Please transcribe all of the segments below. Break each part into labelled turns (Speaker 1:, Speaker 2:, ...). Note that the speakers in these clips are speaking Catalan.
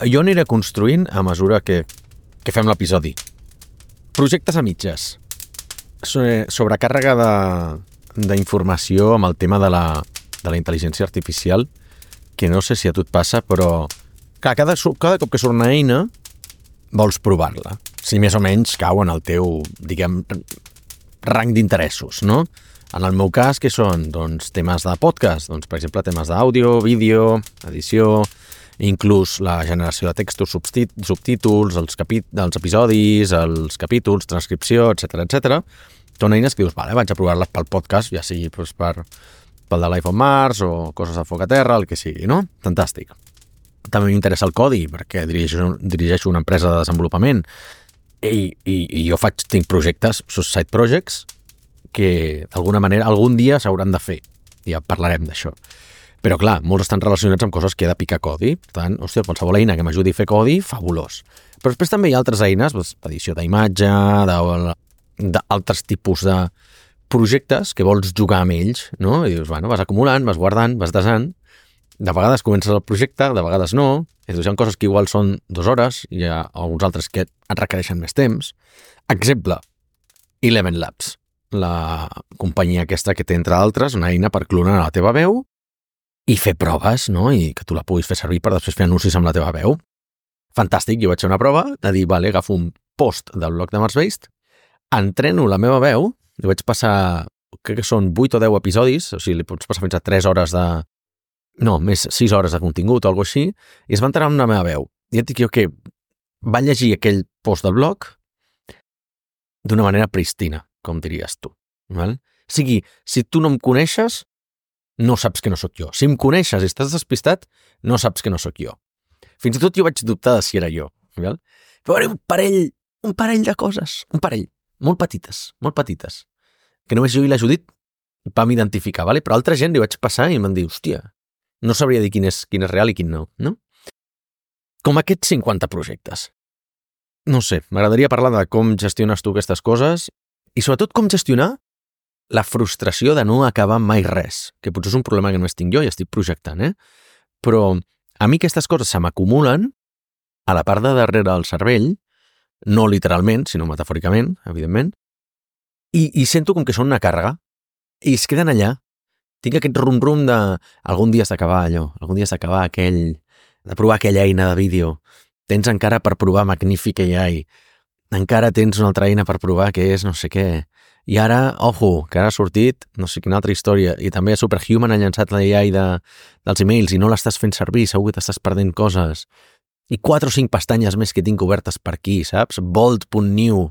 Speaker 1: Jo aniré construint a mesura que fem l'episodi. Projectes a mitges. Sobrecàrrega d'informació amb el tema de la intel·ligència artificial, que no sé si a tu et passa, però clar, cada cop que surt una eina vols provar-la. Si més o menys cau en el teu, diguem, rang d'interessos, no? En el meu cas, què són? Doncs temes de podcast, doncs, per exemple, temes d'àudio, vídeo, edició, inclús la generació de textos, subtítols, els episodis, els capítols, transcripció, etc. Són eines que dius, vale, vaig a provar-les pel podcast, ja sigui doncs, pel de Life on Mars o coses a foc a terra, el que sigui, no? Fantàstic. També m'interessa el codi, perquè dirigeixo una empresa de desenvolupament i jo tinc projectes, side projects, que d'alguna manera algun dia s'hauran de fer. Ja parlarem d'això. Però clar, molts estan relacionats amb coses que he de picar codi. Per tant, hòstia, qualsevol eina que m'ajudi a fer codi, fabulós. Però després també hi ha altres eines, edició d'imatge, d'altres tipus de projectes que vols jugar amb ells, no? I dius, bueno, vas acumulant, vas guardant, vas desant. De vegades comences el projecte, de vegades no. I dius, hi ha coses que igual són 2 hores, i hi ha alguns altres que et requereixen més temps. Exemple, Eleven Labs, la companyia aquesta que té, entre altres, una eina per clonar la teva veu i fer proves, no? I que tu la puguis fer servir per després fer anuncis amb la teva veu. Fantàstic, jo vaig fer una prova de dir, vale, agafo un post del blog de Marsbased, entreno la meva veu, li vaig passar, crec que són 8 o 10 episodis, o sigui, li pots passar fins a 3 hores més 6 hores de contingut o alguna així, i es va entrar amb la meva veu. I et dic jo que va llegir aquell post del blog d'una manera pristina, com diries tu. Val? O sigui, si tu no em coneixes, no saps que no sóc jo. Si em coneixes i estàs despistat, no saps que no sóc jo. Fins i tot jo vaig dubtar de si era jo. Val? Però un parell de coses, molt petites, que només jo i la Judit vam identificar, vale? Però altra gent li vaig passar i em van dir, hòstia, no sabria dir quin és real i quin no, no? Com aquests 50 projectes. No sé, m'agradaria parlar de com gestiones tu aquestes coses i sobretot com gestionar la frustració de no acabar mai res, que potser és un problema que només tinc jo i estic projectant, Però a mi aquestes coses se m'acumulen a la part de darrere del cervell, no literalment, sinó metafòricament, evidentment, i sento com que són una càrrega i es queden allà. Tinc aquest rum-rum de algun dia has d'acabar allò, algun dia has d'acabar de provar aquella eina de vídeo. Tens encara per provar Magnific AI. Encara tens una altra eina per provar que és no sé què. I ara, ojo, que ara ha sortit no sé quina altra història. I també Superhuman ha llançat l'AI dels emails i no l'estàs fent servir, segur que t'estàs perdent coses. I 4 o 5 pestanyes més que tinc obertes per aquí, saps? Bold.new,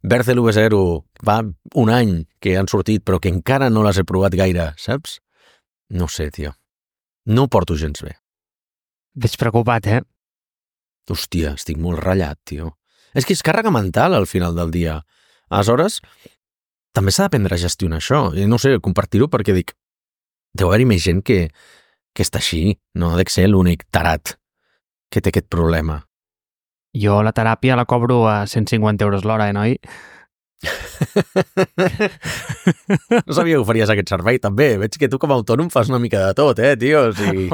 Speaker 1: Berzel V0, va un any que han sortit, però que encara no les he provat gaire, saps? No sé, tio. No ho porto gens bé.
Speaker 2: Veig preocupat,
Speaker 1: Hòstia, estic molt ratllat, tio. És que és càrrega mental al final del dia. Aleshores, també s'ha d'aprendre a gestionar això. I no sé, compartir-ho perquè dic, deu haver-hi més gent que està així. No ha de ser l'únic tarat que té aquest problema.
Speaker 2: Jo la teràpia la cobro a 150 euros l'hora, noi?
Speaker 1: No sabia que oferies aquest servei, també. Veig que tu com a autònom fas una mica de tot, tio? O sigui...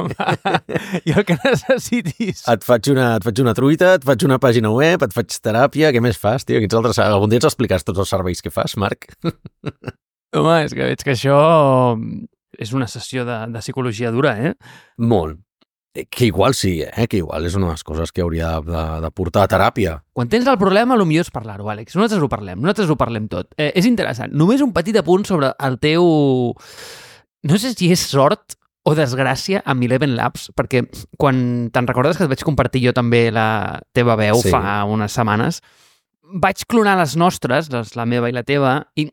Speaker 2: Jo el que necessitis.
Speaker 1: Et faig una truita, et faig una pàgina web, et faig teràpia, què més fas, tio? Algun dia ens expliques tots els serveis que fas, Marc?
Speaker 2: Home, és que veig que això és una sessió de psicologia dura,
Speaker 1: Molt. Que igual sí, que igual és una de les coses que hauria de portar a teràpia.
Speaker 2: Quan tens el problema, el millor és parlar-ho, Àlex. Nosaltres ho parlem tot. És interessant. Només un petit apunt sobre el teu... No sé si és sort o desgràcia amb Eleven Labs, perquè quan te'n recordes que et vaig compartir jo també la teva veu fa unes setmanes, vaig clonar les nostres, la meva i la teva, i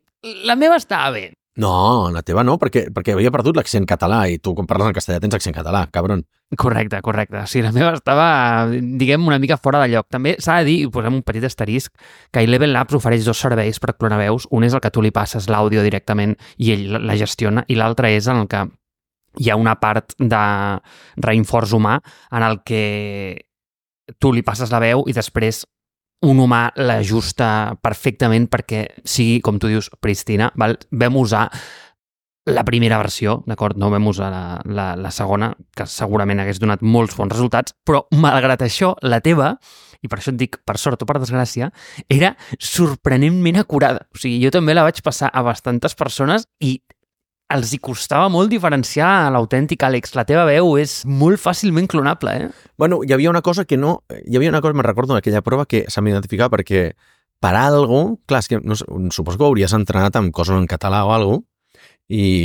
Speaker 2: la meva estava bé.
Speaker 1: No, la teva no, perquè havia perdut l'accent català i tu quan parles en castellà tens accent català, cabron.
Speaker 2: Correcte. O sigui, la meva estava, diguem, una mica fora de lloc. També s'ha de dir, i posem un petit asterisc, que Eleven Labs ofereix 2 serveis per clonar veus. Un és el que tu li passes l'àudio directament i ell la gestiona, i l'altre és en el que hi ha una part de reinforç humà en el que tu li passes la veu i després un humà l'ajusta perfectament perquè sigui, com tu dius, pristina. Val? Vam usar la primera versió, d'acord? No vam usar la segona, que segurament hagués donat molts bons resultats, però malgrat això, la teva, i per això et dic per sort o per desgràcia, era sorprenentment acurada. O sigui, jo també la vaig passar a bastantes persones i els hi costava molt diferenciar l'autèntic Àlex. La teva veu és molt fàcilment clonable, eh?
Speaker 1: Bueno, hi havia una cosa que no... Hi havia una cosa, me'n recordo d'aquella prova, que se m'identificava perquè per algo... Clar, és que no, suposo que ho hauries entrenat amb coses en català o alguna cosa,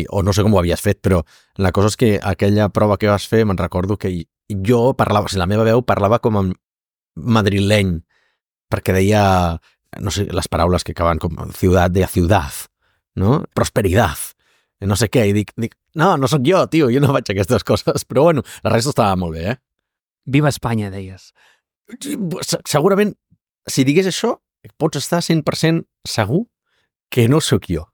Speaker 1: o no sé com ho havies fet, però la cosa és que aquella prova que vas fer, me'n recordo que jo parlava, o sigui, la meva veu parlava com a madrileny, perquè deia, no sé, les paraules que acaben com ciutat, deia ciutat, no? Prosperidad, no sé què, i dic, no sóc jo, tio, jo no faig aquestes coses, però bueno, la resta estava molt bé,
Speaker 2: Viva Espanya, deies.
Speaker 1: Segurament, si digués això, pots estar 100% segur que no sóc jo.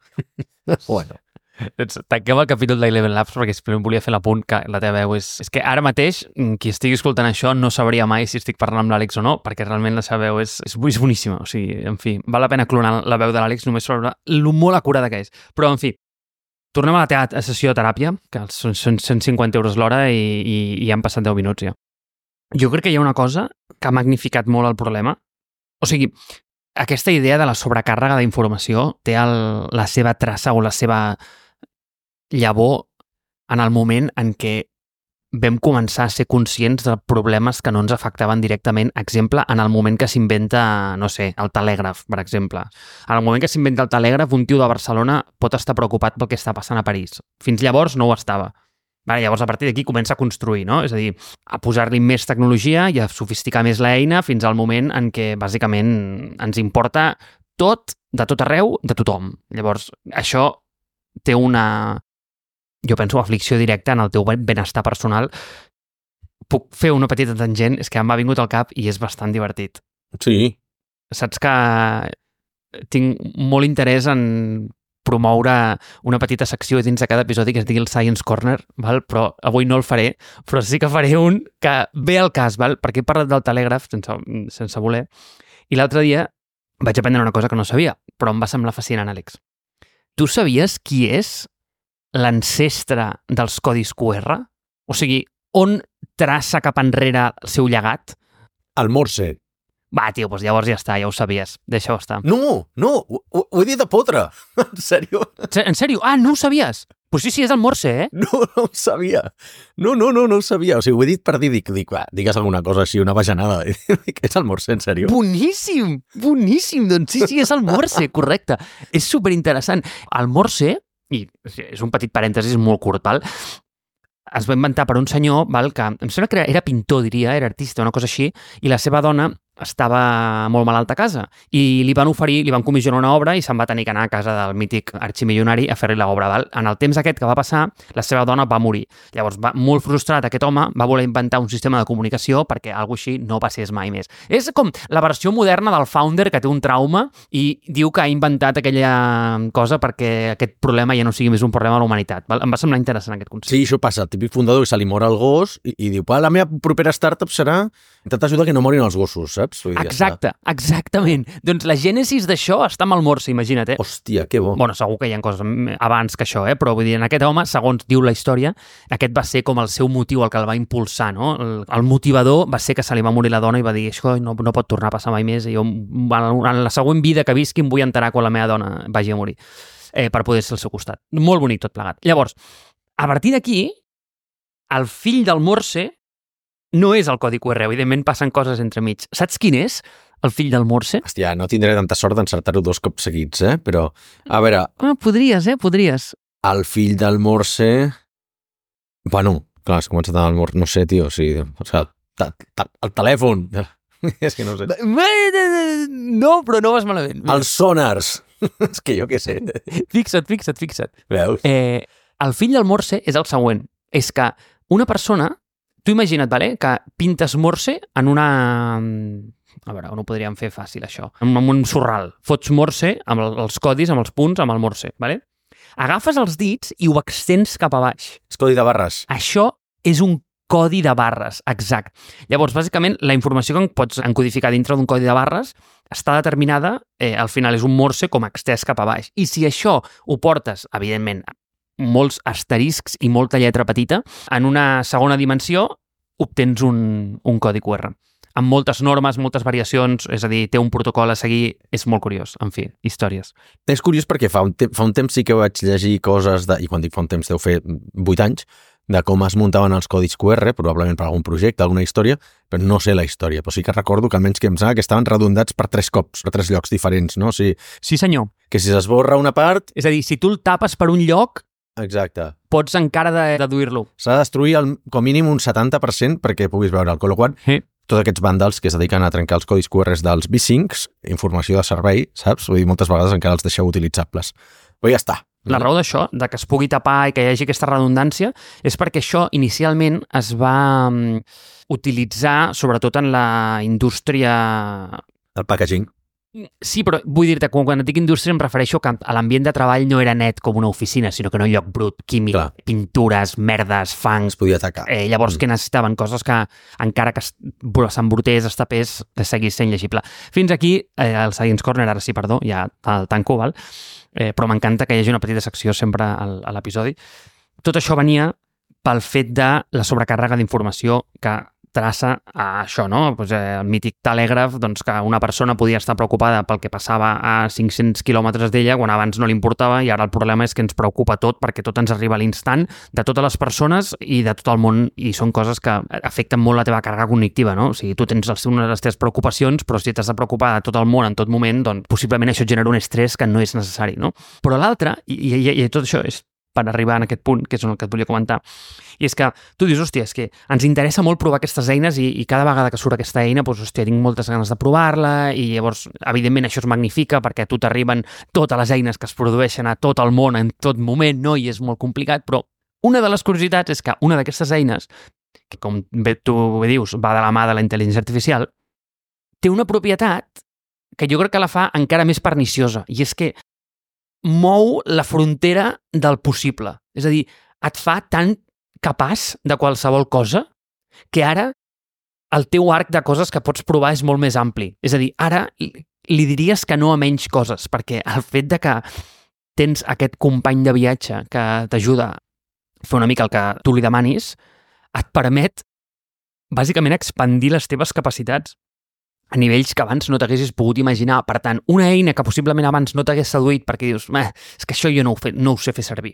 Speaker 1: Bueno.
Speaker 2: Doncs tanquem el capítol d'Eleven Labs perquè simplement volia fer l'apunt que la teva veu és... És que ara mateix, qui estigui escoltant això no sabria mai si estic parlant amb l'Àlex o no, perquè realment la seva veu és boníssima. O sigui, en fi, val la pena clonar la veu de l'Àlex només per veure lo molt acurada que és. Però, en fi, tornem a la teva sessió de teràpia, que són 150 euros l'hora i han passat 10 minuts ja. Jo crec que hi ha una cosa que ha magnificat molt el problema. O sigui, aquesta idea de la sobrecàrrega d'informació té la seva traça o la seva llavor en el moment en què vam començar a ser conscients de problemes que no ens afectaven directament. Exemple, en el moment que s'inventa, no sé, el telègraf, per exemple. En el moment que s'inventa el telègraf, un tio de Barcelona pot estar preocupat pel que està passant a París. Fins llavors no ho estava. Vale, llavors, a partir d'aquí comença a construir, no? És a dir, a posar-li més tecnologia i a sofisticar més l'eina fins al moment en què, bàsicament, ens importa tot, de tot arreu, de tothom. Llavors, això té una... Jo penso aflicció directa en el teu benestar personal. Puc fer una petita tangent? És que m'ha vingut al cap i és bastant divertit.
Speaker 1: Sí.
Speaker 2: Saps que tinc molt interès en promoure una petita secció dins de cada episodi que es digui el Science Corner, val? Però avui no el faré, però sí que faré un que ve al cas, val? Perquè he parlat del telègraf sense voler, i l'altre dia vaig aprendre una cosa que no sabia, però em va semblar fascinant, Àlex. Tu sabies qui és l'ancestre dels codis QR? O sigui, on traça cap enrere el seu llegat?
Speaker 1: El Morse.
Speaker 2: Va, tio, doncs llavors ja està, ja ho sabies. Deixa-ho estar.
Speaker 1: No, ho he dit de potre. En sèrio?
Speaker 2: En sèrio? Ah, no ho sabies? Pues sí, és el Morse, eh?
Speaker 1: No ho sabia. No ho sabia. O sigui, ho he dit per dir, va, digues alguna cosa així, una bajanada. És el Morse, en sèrio?
Speaker 2: Boníssim! Doncs sí, és el Morse, correcte. És superinteressant. El Morse, i és un petit parèntesis molt curt, val? Es va inventar per un senyor, val, que em sembla que era pintor, diria, era artista, una cosa així, i la seva dona estava molt malalta a casa i li van comissionar una obra i se'n va tenir que anar a casa del mític arximilionari a fer-li l'obra. Val? En el temps aquest que va passar, la seva dona va morir. Llavors, molt frustrat aquest home, va voler inventar un sistema de comunicació perquè alguna així no passés mai més. És com la versió moderna del founder que té un trauma i diu que ha inventat aquella cosa perquè aquest problema ja no sigui més un problema de la humanitat. Val? Em va semblar interessant aquest concepte.
Speaker 1: Sí, això passa. El típic fundador que se li mor el gos i diu, la meva propera startup serà intentar ajudar que no morin els gossos, saps?
Speaker 2: Exacte, exactament. Doncs la gènesis d'això està amb el Morse, imagina't, eh?
Speaker 1: Hòstia, que bo.
Speaker 2: Bueno, segur que hi ha coses abans que això, però vull dir, en aquest home, segons diu la història, aquest va ser com el seu motiu, el que el va impulsar, no? El motivador va ser que se li va morir la dona i va dir, això no pot tornar a passar mai més, i jo en la següent vida que visqui em vull enterar quan la meva dona vagi a morir, per poder ser al seu costat. Molt bonic tot plegat. Llavors, a partir d'aquí, el fill del Morse no és el codi QR, evidentment passen coses entremig. Saps quin és el fill del Morse?
Speaker 1: Hòstia, no tindré tanta sort d'encertar-ho 2 cops seguits, però... A veure...
Speaker 2: Podries.
Speaker 1: El fill del Morse... Bueno, clar, has començat amb el Morse... No sé, tio, o sigui... El telèfon... És que no sé...
Speaker 2: No, però no vas malament.
Speaker 1: Els sonars... És que jo què sé.
Speaker 2: Fixa't.
Speaker 1: Veus?
Speaker 2: El fill del Morse és el següent. És que una persona... Tu imagina't, vale, que pintes Morse en una... A veure, on ho podríem fer fàcil, això? En un sorral. Fots Morse amb els codis, amb els punts, amb el Morse, vale? Agafes els dits i ho extens cap a baix.
Speaker 1: És codi de barres.
Speaker 2: Això és un codi de barres, exacte. Llavors, bàsicament, la informació que pots encodificar dintre d'un codi de barres està determinada, al final és un Morse com extès cap a baix. I si això ho portes, evidentment, molts asteriscs i molta lletra petita. En una segona dimensió obtens un codi QR amb moltes normes, moltes variacions, és a dir, té un protocol a seguir, és molt curiós, en fi, històries.
Speaker 1: És curiós perquè fa un temps sí que vaig llegir coses, i quan dic fa un temps deu fer 8 anys, de com es muntaven els codis QR, probablement per algun projecte, alguna història, però no sé la història, però sí que recordo que almenys que em sembla que estaven redundats per 3 cops, per 3 llocs diferents, no? O sigui,
Speaker 2: sí, senyor.
Speaker 1: Que si s'esborra una part...
Speaker 2: És a dir, si tu el tapes per un lloc,
Speaker 1: exacte,
Speaker 2: pots encara deduir-lo.
Speaker 1: s'ha de destruir com a mínim un 70% perquè puguis veure'l, con lo qual
Speaker 2: Sí.
Speaker 1: tots aquests vàndals que es dediquen a trencar els codis QR dels V5, informació de servei, saps? Vull dir, moltes vegades encara els deixeu utilitzables. Però ja està.
Speaker 2: La raó d'això, de que es pugui tapar i que hi hagi aquesta redundància, és perquè això inicialment es va utilitzar sobretot en la indústria...
Speaker 1: El packaging.
Speaker 2: Sí, però vull dir-te, quan et dic indústria em refereixo que l'ambient de treball no era net com una oficina, sinó que era un lloc brut, químic,
Speaker 1: Clar.
Speaker 2: Pintures, merdes, fangs...
Speaker 1: Es podia atacar.
Speaker 2: Llavors, que necessitaven coses que, encara que s'embrutés, es tapés, seguís sent llegible. Fins aquí, el Science Corner, ara sí, perdó, ja el tanco, val? Però m'encanta que hi hagi una petita secció sempre a l'episodi. Tot això venia pel fet de la sobrecàrrega d'informació que traça a això, no? Pues, el mític telègraf, doncs, que una persona podia estar preocupada pel que passava a 500 quilòmetres d'ella quan abans no li importava, i ara el problema és que ens preocupa tot perquè tot ens arriba a l'instant de totes les persones i de tot el món, i són coses que afecten molt la teva càrrega cognitiva, no? O sigui, tu tens una de les teves preocupacions, però si t'has de preocupar de tot el món en tot moment, doncs possiblement això et genera un estrès que no és necessari, no? Però l'altre, i tot això és per arribar en aquest punt, que és el que et volia comentar, i és que tu dius, hòstia, és que ens interessa molt provar aquestes eines i cada vegada que surt aquesta eina, doncs, hòstia, tinc moltes ganes de provar-la, i llavors, evidentment, això es magnifica perquè a tu t'arriben totes les eines que es produeixen a tot el món en tot moment, no? I és molt complicat, però una de les curiositats és que una d'aquestes eines, que com tu bé dius, va de la mà de la intel·ligència artificial, té una propietat que jo crec que la fa encara més perniciosa, i és que mou la frontera del possible. És a dir, et fa tan capaç de qualsevol cosa que ara el teu arc de coses que pots provar és molt més ampli. És a dir, ara li diries que no a menys coses, perquè el fet de que tens aquest company de viatge que t'ajuda a fer una mica el que tu li demanis, et permet bàsicament expandir les teves capacitats a nivells que abans no t'haguessis pogut imaginar. Per tant, una eina que possiblement abans no t'hagués seduït perquè dius, és que això jo no ho sé fer servir,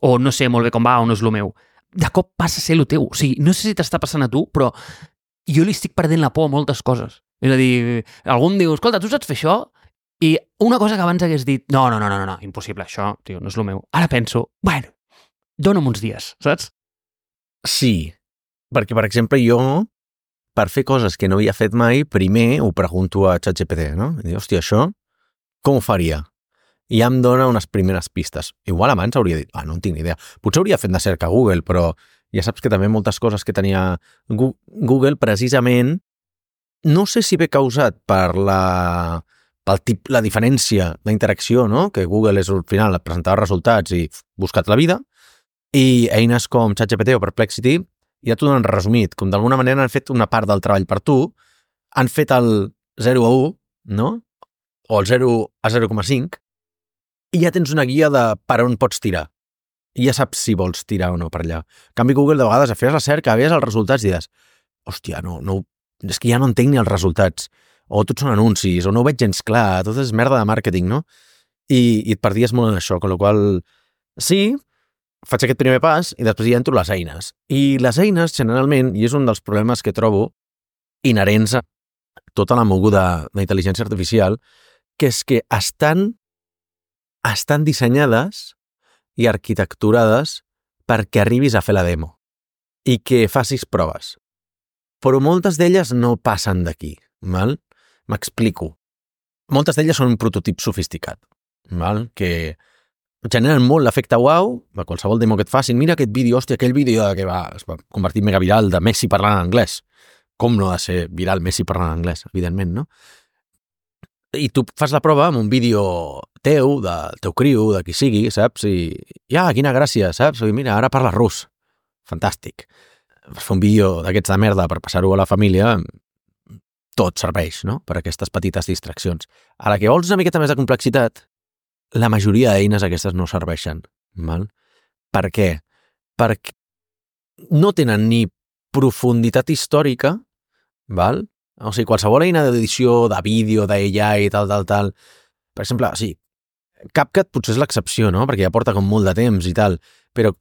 Speaker 2: o no sé molt bé com va, o no és el meu, de cop passa a ser el teu. O sigui, no sé si t'està passant a tu, però jo li estic perdent la por a moltes coses. És a dir, algú em diu, escolta, tu saps fer això? I una cosa que abans hagués dit, no, impossible, això, tio, no és el meu. Ara penso, bueno, dona'm uns dies, saps?
Speaker 1: Sí, perquè, per exemple, jo, per fer coses que no havia fet mai, primer ho pregunto a ChatGPT, no? I dic, hòstia, això, com ho faria? I ja em dona unes primeres pistes. Igual abans hauria dit, no en tinc ni idea. Potser hauria fet de cerca a Google, però ja saps que també moltes coses que tenia Google, precisament, no sé si ve causat per la diferència d'interacció, no? Que Google és al final presentava resultats i buscat la vida, i eines com ChatGPT o Perplexity ja t'ho donen resumit, com d'alguna manera han fet una part del treball per tu, han fet el 0 a 1, no? O el 0 a 0,5, i ja tens una guia de per on pots tirar. I ja saps si vols tirar o no per allà. En canvi, Google, de vegades, feies la cerca, veies els resultats i dius, hòstia, no, és que ja no entenc ni els resultats. O tots són anuncis, o no ho veig gens clar, tot és merda de màrqueting, no? I et perdies molt en això, amb la qual sí, faig aquest primer pas i després ja entro les eines. I les eines, generalment, i és un dels problemes que trobo inherents a tota la moguda d'intel·ligència artificial, que és que estan dissenyades i arquitecturades perquè arribis a fer la demo i que facis proves. Però moltes d'elles no passen d'aquí, val? M'explico. Moltes d'elles són un prototip sofisticat, val? Que generen molt l'efecte uau, a qualsevol demo que et facin, mira aquest vídeo, hòstia, aquell vídeo que es va convertir en mega viral de Messi parlant en anglès. Com no ha de ser viral Messi parlant en anglès, evidentment, no? I tu fas la prova amb un vídeo teu, del teu criu, de qui sigui, saps? I quina gràcia, saps? I mira, ara parla rus. Fantàstic. Per fer un vídeo d'aquests de merda per passar-ho a la família, tot serveix, no? Per aquestes petites distraccions. A la que vols una miqueta més de complexitat, la majoria d'eines aquestes no serveixen, val? Per què? Perquè no tenen ni profunditat històrica, val? O sigui, qualsevol eina d'edició, de vídeo, d'AI i tal, per exemple, sí, CapCut potser és l'excepció, no? Perquè ja porta com molt de temps i tal, però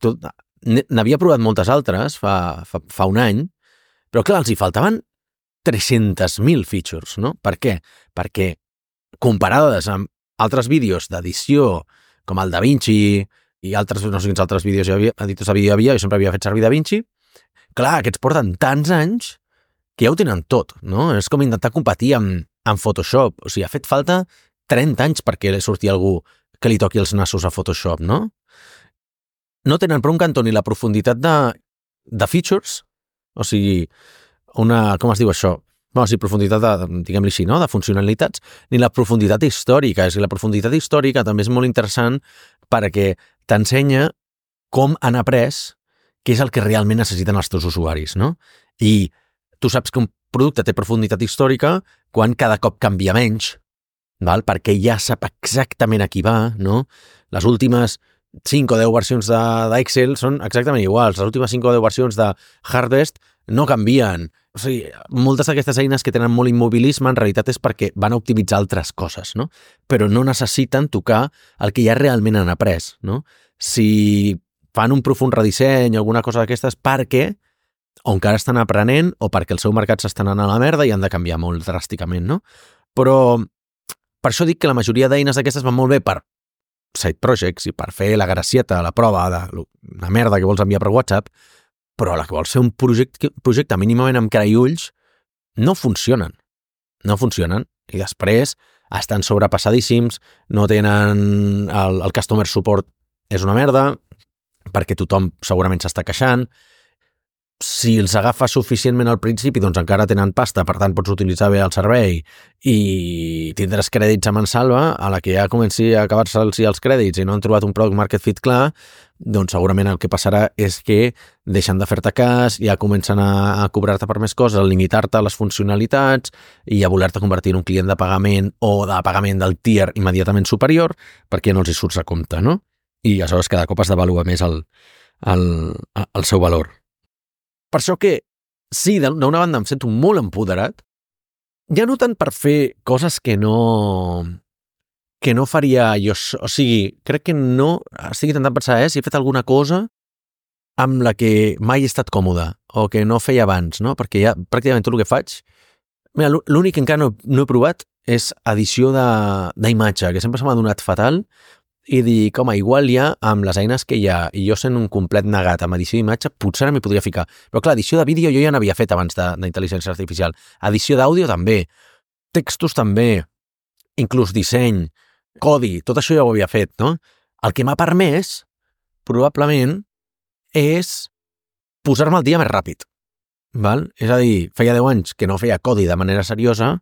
Speaker 1: n'havia provat moltes altres fa un any, però clar, els hi faltaven 300.000 features, no? Per què? Perquè comparades amb altres vídeos d'edició, com el DaVinci i altres, no sé quins altres vídeos editors de vídeo hi havia, jo sempre havia fet servir DaVinci, clar, aquests porten tants anys que ja ho tenen tot, no? És com intentar competir amb Photoshop. O sigui, ha fet falta 30 anys perquè surti algú que li toqui els nassos a Photoshop, no? No tenen per un cantó ni la profunditat de features, o sigui, com es diu això? Bueno, o sigui, profunditat diguem-li així, no? De funcionalitats, ni la profunditat històrica. És que la profunditat històrica també és molt interessant perquè t'ensenya com han après què és el que realment necessiten els teus usuaris, no? I tu saps que un producte té profunditat històrica quan cada cop canvia menys, val? Perquè ja sap exactament a qui va, no? Les últimes 5 o 10 versions d'Excel són exactament iguals. Les últimes 5 o 10 versions de Harvest no canvien. O sigui, moltes d'aquestes eines que tenen molt immobilisme en realitat és perquè van a optimitzar altres coses, no? Però no necessiten tocar el que ja realment han après, no? Si fan un profund redisseny o alguna cosa d'aquestes perquè o encara estan aprenent o perquè el seu mercat s'està anant a la merda i han de canviar molt dràsticament, no? Però per això dic que la majoria d'eines d'aquestes van molt bé per side projects i per fer la gracieta, la prova de la merda que vols enviar per WhatsApp, però la que vols fer un projecte mínimament amb cara i ulls no funcionen. No funcionen. I després estan sobrepassadíssims, no tenen el customer support és una merda, perquè tothom segurament s'està queixant. Si els agafes suficientment al principi, doncs encara tenen pasta, per tant pots utilitzar bé el servei i tindràs crèdits a mansalva. A la que ja comenci a acabar-se els crèdits i no han trobat un product market fit clar, doncs segurament el que passarà és que deixen de fer-te cas, ja comencen a cobrar-te per més coses, a limitar-te les funcionalitats i a voler-te convertir en un client de pagament o de pagament del tier immediatament superior perquè no els hi surts a compte, no? I aleshores cada cop has d'avaluar més el seu valor. Per això que, sí, d'una banda em sento molt empoderat, ja no tant per fer coses que no faria jo, o sigui, crec que no estic intentant pensar si he fet alguna cosa amb la que mai he estat còmode o que no feia abans, no? Perquè ja pràcticament tot el que faig, mira, l'únic que encara no he provat és edició d'imatge, que sempre se m'ha donat fatal, i dic, home, igual ja amb les eines que hi ha, i jo sent un complet negat amb edició d'imatge, potser m'hi podria ficar. Però clar, edició de vídeo jo ja n'havia fet abans d'intel·ligència artificial. Edició d'àudio també, textos també, inclús disseny, codi, tot això ja ho havia fet, no? El que m'ha permès, probablement, és posar-me al dia més ràpid. Val? És a dir, feia 10 anys que no feia codi de manera seriosa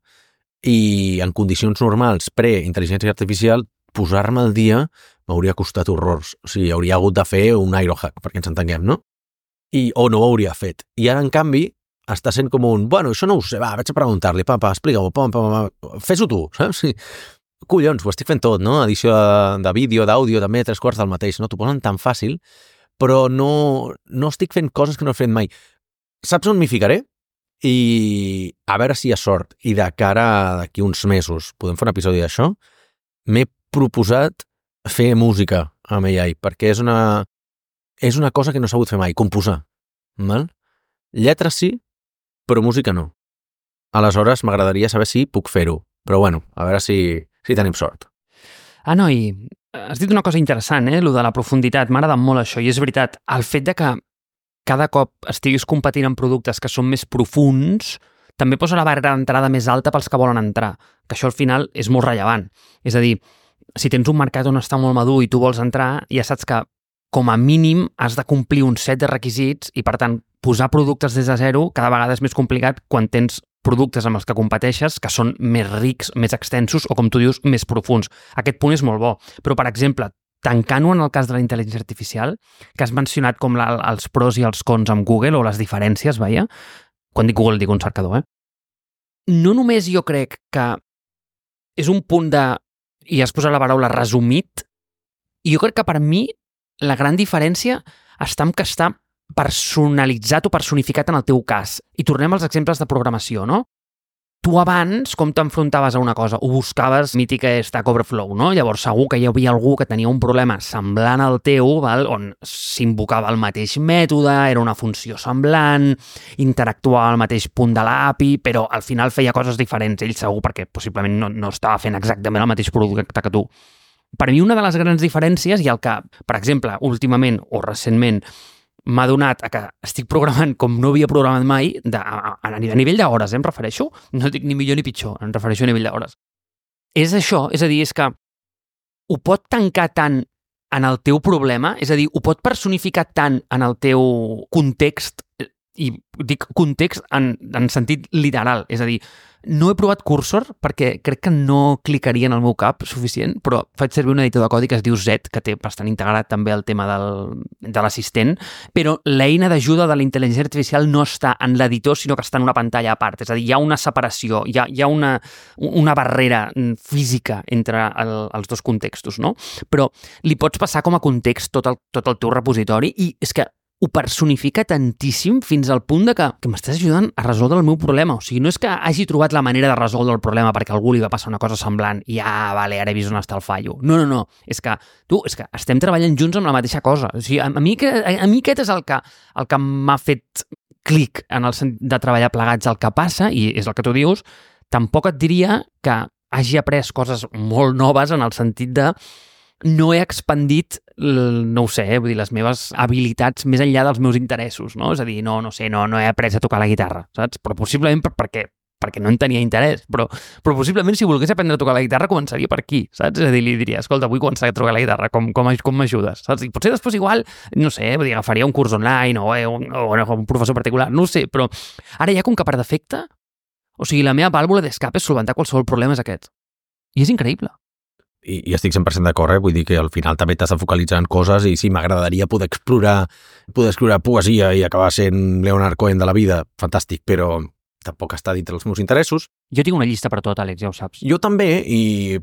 Speaker 1: i en condicions normals pre-intel·ligència artificial posar-me al dia m'hauria costat horrors. O sigui, hauria hagut de fer un aerohack, perquè ens entenguem, no? O no ho hauria fet. I ara, en canvi, està sent com bueno, això no ho sé, vaig a preguntar-li, explica-m'ho, fes-ho tu, saps? Collons, ho estic fent tot, no? Edició de vídeo, d'àudio, també, 3/4 del mateix, no? T'ho posen tan fàcil, però no estic fent coses que no he fet mai. Saps on m'hi ficaré? I a veure si hi ha sort. I de cara d'aquí uns mesos podem fer un episodi d'això. M'he proposat fer música amb AI, perquè és una cosa que no he sabut fer mai, composar. Val? Lletres sí, però música no. Aleshores m'agradaria saber si puc fer-ho, però bueno, a veure si tenim sort.
Speaker 2: No, i has dit una cosa interessant, lo de la profunditat, m'ha agradat molt això, i és veritat, el fet de que cada cop estiguis competint en productes que són més profunds, també posa la barrera d'entrada més alta pels que volen entrar, que això al final és molt rellevant. És a dir, si tens un mercat on està molt madur i tu vols entrar, ja saps que com a mínim has de complir un set de requisits i, per tant, posar productes des de zero cada vegada és més complicat quan tens productes amb els que competeixes que són més rics, més extensos o, com tu dius, més profunds. Aquest punt és molt bo. Però, per exemple, tancant-ho en el cas de la intel·ligència artificial, que has mencionat com els pros i els cons amb Google o les diferències, veia? Quan dic Google dic un cercador, No només jo crec que és un punt i has posat la paraula resumit, i jo crec que per mi la gran diferència està en que està personalitzat o personificat en el teu cas. I tornem als exemples de programació, no? Tu abans, com t'enfrontaves a una cosa? Ho buscaves, mítica Stack Overflow, no? Llavors segur que hi havia algú que tenia un problema semblant al teu, val? On s'invocava el mateix mètode, era una funció semblant, interactuava al mateix punt de l'API, però al final feia coses diferents. Ell segur perquè possiblement no estava fent exactament el mateix producte que tu. Per mi una de les grans diferències i el que, per exemple, últimament o recentment m'ha donat a que estic programant com no havia programat mai, a nivell d'hores, em refereixo, no dic ni millor ni pitjor, em refereixo a nivell d'hores. És això, és a dir, és que ho pot tancar tant en el teu problema, és a dir, ho pot personificar tant en el teu context, i dic context en sentit literal, és a dir, no he provat Cursor perquè crec que no clicaria en el meu cap suficient, però faig servir un editor de codi que es diu Z, que té bastant integrat també el tema de l'assistent, però l'eina d'ajuda de la intel·ligència artificial no està en l'editor, sinó que està en una pantalla a part, és a dir, hi ha una separació, hi ha una barrera física entre els dos contextos, no? Però li pots passar com a context tot el teu repositori i és que ho personifica tantíssim fins al punt de que m'estàs ajudant a resoldre el meu problema. O sigui, no és que hagi trobat la manera de resoldre el problema perquè a algú li va passar una cosa semblant i vale, ara he vist on està el fallo. No. És que estem treballant junts amb la mateixa cosa. O sigui, a mi aquest és el que m'ha fet clic en el sentit de treballar plegats. El que passa, i és el que tu dius, tampoc et diria que hagi après coses molt noves en el sentit de no he expandit, no ho sé, vull dir, les meves habilitats més enllà dels meus interessos, no? És a dir, no he après a tocar la guitarra, saps? Però possiblement perquè no en tenia interès, però possiblement si volgués aprendre a tocar la guitarra començaria per aquí, saps? És a dir, li diria, escolta, vull començar a tocar la guitarra, com m'ajudes, saps? I potser després igual, no sé, vull dir, agafaria un curs online o un professor particular, no ho sé, però ara ja com que per defecte, o sigui, la meva vàlvula d'escape és solventar qualsevol problema és aquest. I és increïble.
Speaker 1: I estic 100% d'acord, vull dir que al final també t'has de focalitzar en coses i sí, m'agradaria poder escriure poesia i acabar sent Leonard Cohen de la vida, fantàstic, però tampoc està dintre els meus interessos.
Speaker 2: Jo tinc una llista per tot, Àlex, ja ho saps.
Speaker 1: Jo també,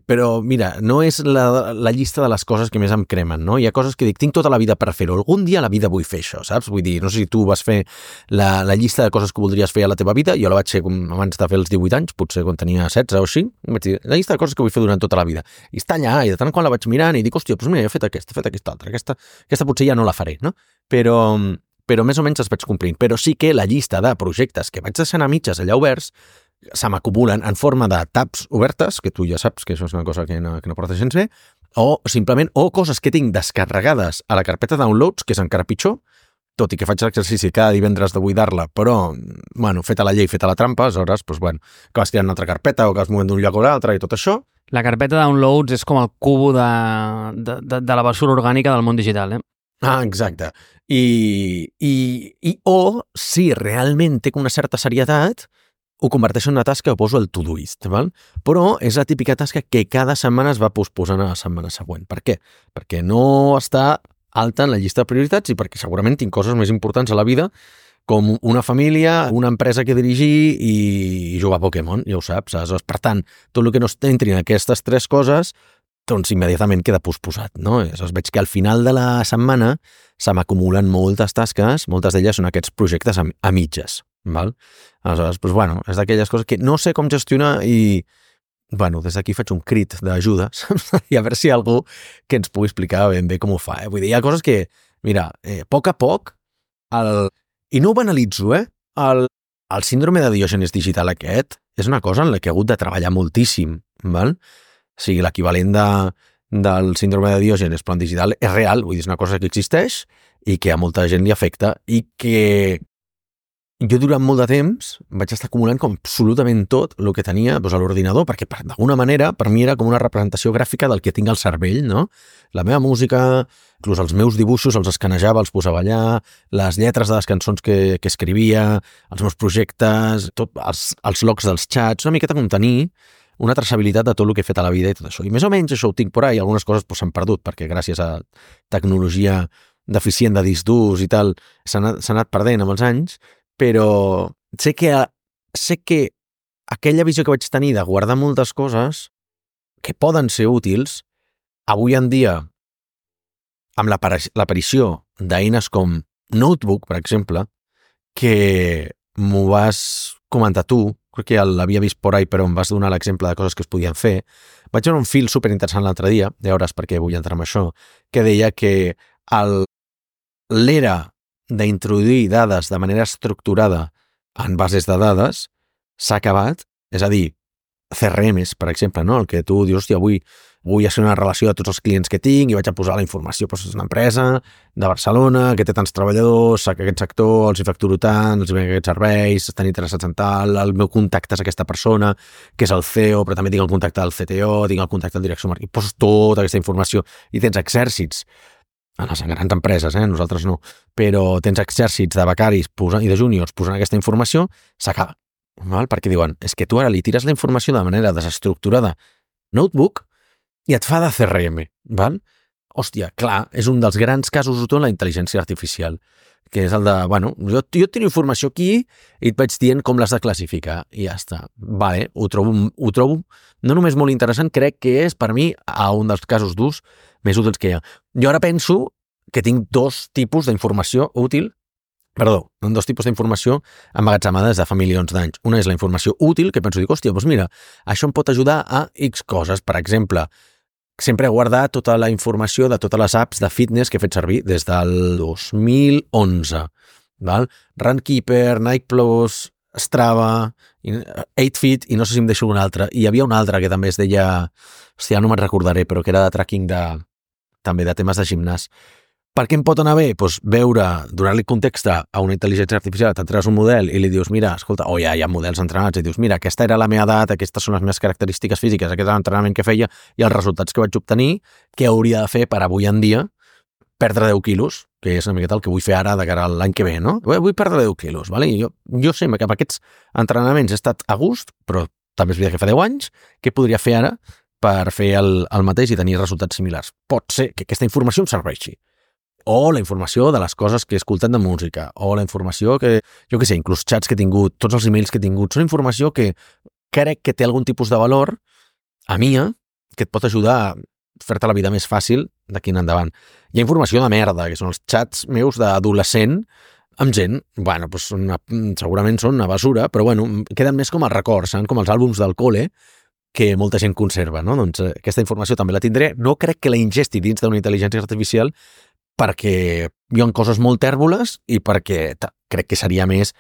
Speaker 1: però mira, no és la llista de les coses que més em cremen, no? Hi ha coses que dic, tinc tota la vida per fer-ho, algun dia a la vida vull fer això, saps? Vull dir, no sé si tu vas fer la llista de coses que voldries fer a la teva vida, jo la vaig fer abans de fer els 18 anys, potser quan tenia 16 o així, vaig dir, la llista de coses que vull fer durant tota la vida. I està allà, i de tant en quant la vaig mirant i dic, hòstia, doncs mira, he fet aquesta altra, aquesta potser ja no la faré, no? Però més o menys els vaig complint. Però sí que la llista de projectes que vaig deixant a mitges allà oberts se m'acumulen en forma de tabs obertes, que tu ja saps que això és una cosa que no porta gens bé, o coses que tinc descarregades a la carpeta downloads, que és encara pitjor, tot i que faig l'exercici cada divendres de buidar-la, però, bueno, feta la llei, feta la trampa, aleshores, doncs, bueno, que vas tirant una altra carpeta o que vas movent d'un lloc a l'altre i tot això.
Speaker 2: La carpeta downloads és com el cubo de la basura orgànica del món digital,
Speaker 1: Exacte. O si realment té una certa serietat, ho converteixo en una tasca que poso al Todoist, val? Però és la típica tasca que cada setmana es va posposant a la setmana següent. Per què? Perquè no està alta en la llista de prioritats i perquè segurament tinc coses més importants a la vida com una família, una empresa que dirigir i jugar a Pokémon, ja ho saps. Aleshores, per tant, tot el que no entri en aquestes tres coses doncs immediatament queda posposat, no? Aleshores veig que al final de la setmana se m'acumulen moltes tasques, moltes d'elles són aquests projectes a mitges, val? Aleshores, doncs, bueno, és d'aquelles coses que no sé com gestionar i, bueno, des d'aquí faig un crit d'ajuda i a veure si hi ha algú que ens pugui explicar ben bé com ho fa, Vull dir, hi ha coses que, mira, a poc, i no ho banalitzo, el síndrome de Diògenes digital aquest és una cosa en la que he hagut de treballar moltíssim, val? O sigui, l'equivalent del síndrome de Diògenes però en digital és real, vull dir, és una cosa que existeix i que a molta gent li afecta i que jo durant molt de temps vaig estar acumulant com absolutament tot el que tenia doncs, a l'ordinador, perquè d'alguna manera per mi era com una representació gràfica del que tinc al cervell, no? La meva música, inclús els meus dibuixos els escanejava, els posava allà, les lletres de les cançons que escrivia, els meus projectes, els logs dels xats, una miqueta com tenir una traçabilitat de tot el que he fet a la vida i tot això. I més o menys això ho tinc por ahí, algunes coses s'han perdut, perquè gràcies a tecnologia deficient de disc durs i tal, s'ha anat perdent amb els anys, però sé que aquella visió que vaig tenir de guardar moltes coses que poden ser útils, avui en dia amb l'aparició d'eines com Notebook, per exemple, que m'ho vas comentar tu, crec que ja l'havia vist por ahí, però em vas donar l'exemple de coses que es podien fer. Vaig veure un fil superinteressant l'altre dia, ja veuràs per què vull entrar en això, que deia que l'era d'introduir dades de manera estructurada en bases de dades s'ha acabat, és a dir, CRMs, per exemple, no? El que tu dius, hòstia, vull fer una relació de tots els clients que tinc i vaig a posar la informació, doncs és una empresa de Barcelona que té tants treballadors, que aquest sector els hi facturo tant, els hi ven aquests serveis, estan interessats en tal, el meu contacte és aquesta persona, que és el CEO, però també tinc el contacte del CTO, tinc el contacte del direcció marketing, poses tota aquesta informació i tens exèrcits en les grans empreses, nosaltres no, però tens exèrcits de becaris i de júniors posant aquesta informació, s'acaba. Perquè diuen, és que tu ara li tires la informació de manera desestructurada Notebook i et fa de CRM, val? Hòstia, clar, és un dels grans casos d'ús de la intel·ligència artificial, que és el de, bueno, jo et tiro informació aquí i et vaig dient com l'has de classificar i ja està. Vale, ho trobo no només molt interessant, crec que és per mi un dels casos d'ús més útils que hi ha. Jo ara penso que tinc dos tipus d'informació útil, dos tipus d'informació emmagatzemada des de fa milions d'anys. Una és la informació útil, que penso, dic, hòstia, doncs mira, això em pot ajudar a X coses. Per exemple, sempre he guardat tota la informació de totes les apps de fitness que he fet servir des del 2011. Val? Runkeeper, Nike Plus, Strava, 8Fit, i no sé si em deixo una altra. I hi havia una altra que també es deia, hòstia, no me'n recordaré, però que era de tracking també de temes de gimnàs. Per què em pot anar bé? Doncs donar-li context a una intel·ligència artificial, t'entrenes un model i li dius, mira, escolta, hi ha models entrenats, i dius, mira, aquesta era la meva edat, aquestes són les meves característiques físiques, aquest és l'entrenament que feia i els resultats que vaig obtenir, què hauria de fer per avui en dia perdre 10 quilos, que és una miqueta el que vull fer ara de cara a l'any que ve, no? Vull perdre 10 quilos, vale? I jo sé que amb aquests entrenaments he estat a gust, però també és veritat que fa 10 anys, què podria fer ara per fer el mateix i tenir resultats similars? Pot ser que aquesta informació em serveixi. O la informació de les coses que he escoltat de música, o la informació que, jo què sé, inclús xats que he tingut, tots els emails que he tingut, són informació que crec que té algun tipus de valor a mia, que et pot ajudar a fer-te la vida més fàcil d'aquí en endavant. Hi ha informació de merda, que són els xats meus d'adolescent amb gent, bueno, doncs segurament són una basura, però bueno, queden més com a records, com els àlbums del col·le, que molta gent conserva, no? Doncs aquesta informació també la tindré, no crec que la ingesti dins d'una intel·ligència artificial, perquè hi ha coses molt tèrboles i perquè crec que seria més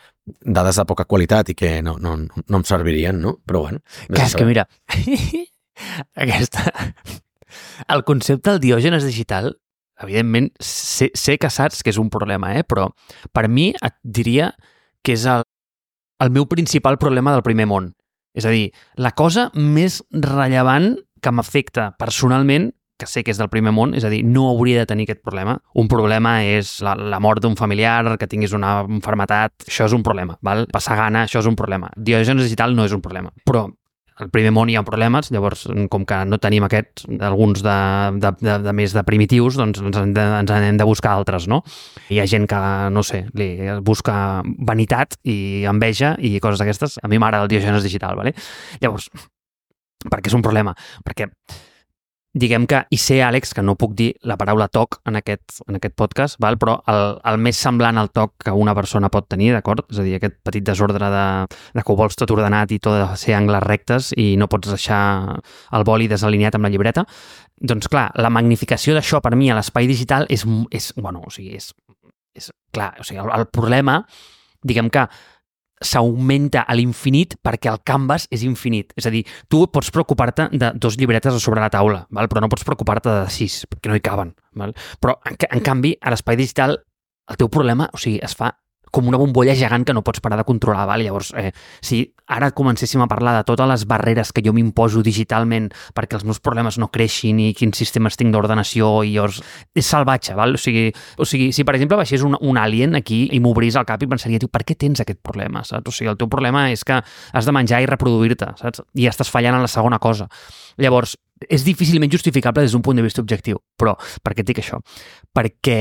Speaker 1: dades de poca qualitat i que no em servirien, no? Però bueno.
Speaker 2: Clar, és que mira, el concepte del Diògenes digital, evidentment, sé que saps que és un problema, però per mi et diria que és el meu principal problema del primer món. És a dir, la cosa més rellevant que m'afecta personalment, que sé que és del primer món, és a dir, no hauria de tenir aquest problema. Un problema és la mort d'un familiar, que tinguis una malaltia, això és un problema, val? Passar gana, això és un problema. Diògenes digital no és un problema, però al primer món hi ha problemes, llavors, com que no tenim aquests, alguns de més de primitius, doncs ens hem de buscar altres, no? Hi ha gent que, no sé, li busca vanitat i enveja i coses d'aquestes. A mi m'agrada el Diògenes digital, vale? Llavors, per què és un problema? Perquè diguem que, i sé, Àlex, que no puc dir la paraula toc en aquest podcast, val? Però el més semblant al toc que una persona pot tenir, d'acord? És a dir, aquest petit desordre de que ho vols tot ordenat i tot de ser angles rectes i no pots deixar el boli desalineat amb la llibreta. Doncs clar, la magnificació d'això per mi a l'espai digital és clar, o sigui, el problema, diguem que s'augmenta a l'infinit perquè el canvas és infinit. És a dir, tu pots preocupar-te de 2 llibretes a sobre la taula, val? Però no pots preocupar-te de 6, perquè no hi caben. Val? Però, en canvi, a l'espai digital, el teu problema, o sigui, es fa com una bombolla gegant que no pots parar de controlar. Val? Llavors, si ara comencéssim a parlar de totes les barreres que jo m'imposo digitalment perquè els meus problemes no creixin i quins sistemes tinc d'ordenació, i llavors és salvatge. Val? O sigui, si per exemple baixés un alien aquí i m'obrís el cap i pensaria, per què tens aquest problema? Saps? O sigui, el teu problema és que has de menjar i reproduir-te, saps? I estàs fallant en la segona cosa. Llavors, és difícilment justificable des d'un punt de vista objectiu. Però per què et dic això? Perquè,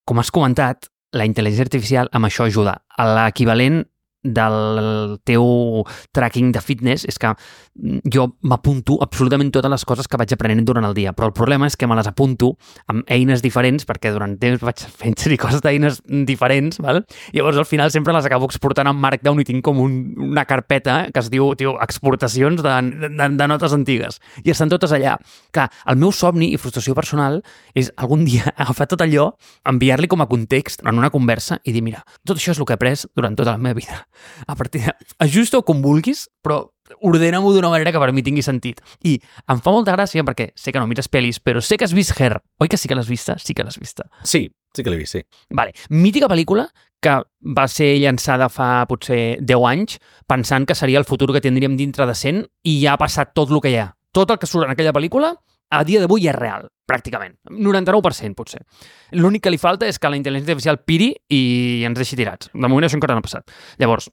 Speaker 2: com has comentat, la intel·ligència artificial amb això ajuda. L'equivalent del teu tracking de fitness és que jo m'apunto absolutament totes les coses que vaig aprenent durant el dia, però el problema és que me les apunto amb eines diferents, perquè durant temps vaig fent coses d'eines diferents, val? Llavors al final sempre les acabo exportant en Markdown i tinc com una carpeta que es diu exportacions de notes antigues, i estan totes allà. Clar, el meu somni i frustració personal és algun dia agafar tot allò, enviar-li com a context en una conversa i dir, mira, tot això és el que he après durant tota la meva vida. A partir de... Ajusta-ho com vulguis, però ordena-m'ho d'una manera que per mi tingui sentit. I em fa molta gràcia perquè sé que no mires pel·lis, però sé que has vist Her. Oi que sí que l'has vista? Sí que l'has vista.
Speaker 1: Sí que l'he vist, sí.
Speaker 2: Vale. Mítica pel·lícula que va ser llançada fa potser 10 anys pensant que seria el futur que tindríem dintre de 100 i ja ha passat tot el que hi ha. Tot el que surt en aquella pel·lícula a dia d'avui ja és real, pràcticament. 99% potser. L'únic que li falta és que la intel·ligència artificial piri i ens deixi tirats. De moment això encara no ha passat. Llavors,